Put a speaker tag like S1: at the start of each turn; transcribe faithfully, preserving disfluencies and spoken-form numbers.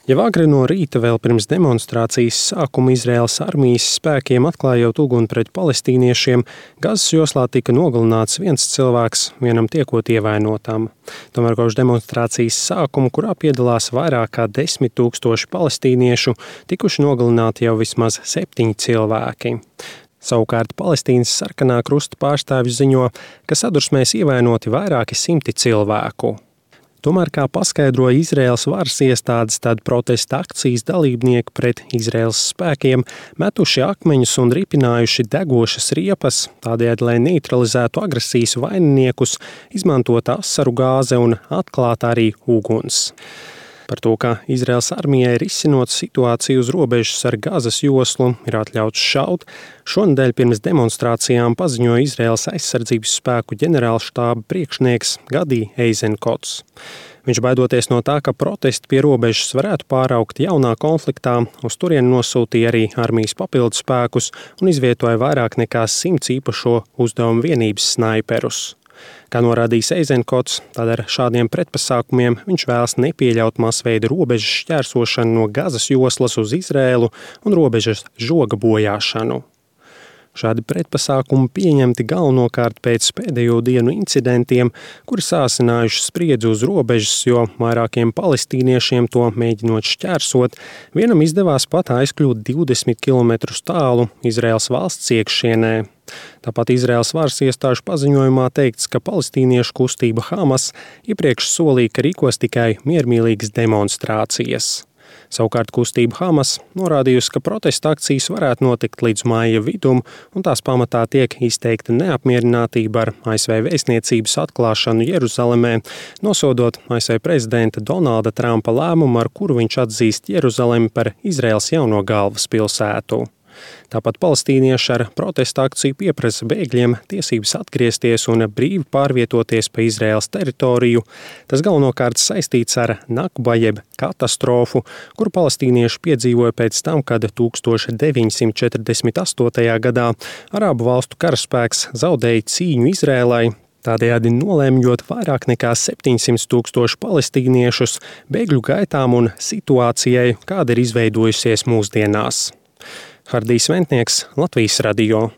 S1: Jau agri no rīta vēl pirms demonstrācijas sākuma Izraēlas armijas spēkiem atklājot uguni pret palestīniešiem, Gazas joslā tika nogalināts viens cilvēks, vienam tiekot ievainotam. Tomēr kopš demonstrācijas sākuma, kurā piedalās vairāk kā desmit tūkstoši palestīniešu, tikuši nogalināti jau vismaz septiņi cilvēki. Savukārt Palestīnas sarkanā krusta pārstāvji ziņo, ka sadursmēs ievainoti vairāki simti cilvēku. Tomēr, kā paskaidroja Izraēlas varas iestādes, tad protesta akcijas dalībnieki pret Izraēlas spēkiem metuši akmeņus un ripinājuši degošas riepas, tādējādi, lai neutralizētu agresijas vaininiekus, izmantot asaru gāze un atklāt arī uguns. Par to, ka Izraēlas armijai risinot situāciju uz robežas ar Gazas joslu ir atļauts šaut, šonedēļ pirms demonstrācijām paziņoja Izraēlas aizsardzības spēku ģenerālštāba priekšnieks Gadi Eizenkots. Viņš baidoties no tā, ka protesti pie robežas varētu pāraukt jaunā konfliktā, uz turieni nosūtīja arī armijas papildu spēkus un izvietoja vairāk nekā simts īpašo uzdevumu vienības snaiperus. Kā norādījis Eizenkots, tad ar šādiem pretpasākumiem viņš vēlas nepieļaut masveida robežas šķērsošanu no Gazas joslas uz Izraēlu un robežas žoga bojāšanu. Šādi pretpasākumi pieņemti galvenokārt pēc pēdējo dienu incidentiem, kuri sāsinājuši spriedzi uz robežas, jo vairākiem palestīniešiem to mēģinot šķērsot, vienam izdevās pat aizkļūt divdesmit kilometrus tālu Izraēlas valsts iekšienē. Tāpat Izraēlas varas iestāžu paziņojumā teikts, ka palestīniešu kustība Hamas iepriekš solīja, ka rīkos tikai miermīlīgas demonstrācijas. Savukārt kustība Hamas norādījusi, ka protesta akcijas varētu notikt līdz māja vidum, un tās pamatā tiek izteikta neapmierinātība ar A S V vēstniecības atklāšanu Jeruzalemē, nosodot A S V prezidenta Donalda Trumpa lēmumu, ar kuru viņš atzīst Jeruzalemi par Izraēlas jauno galvaspilsētu. Tāpat palestīnieši ar protesta akciju pieprasa bēgļiem tiesības atgriezties un brīvi pārvietoties pa Izraēlas teritoriju. Tas galvenokārt saistīts ar Nakba jeb katastrofu, kuru palestīnieši piedzīvoja pēc tam, kad deviņdesmit četrdesmit astotajā gadā Arābu valstu karaspēks zaudēja cīņu Izraēlai, tādējādi nolēmjot vairāk nekā septiņsimt tūkstošu palestīniešus bēgļu gaitām un situācijai, kāda ir izveidojusies mūsdienās. Hardijs Ventnieks, Latvijas radio.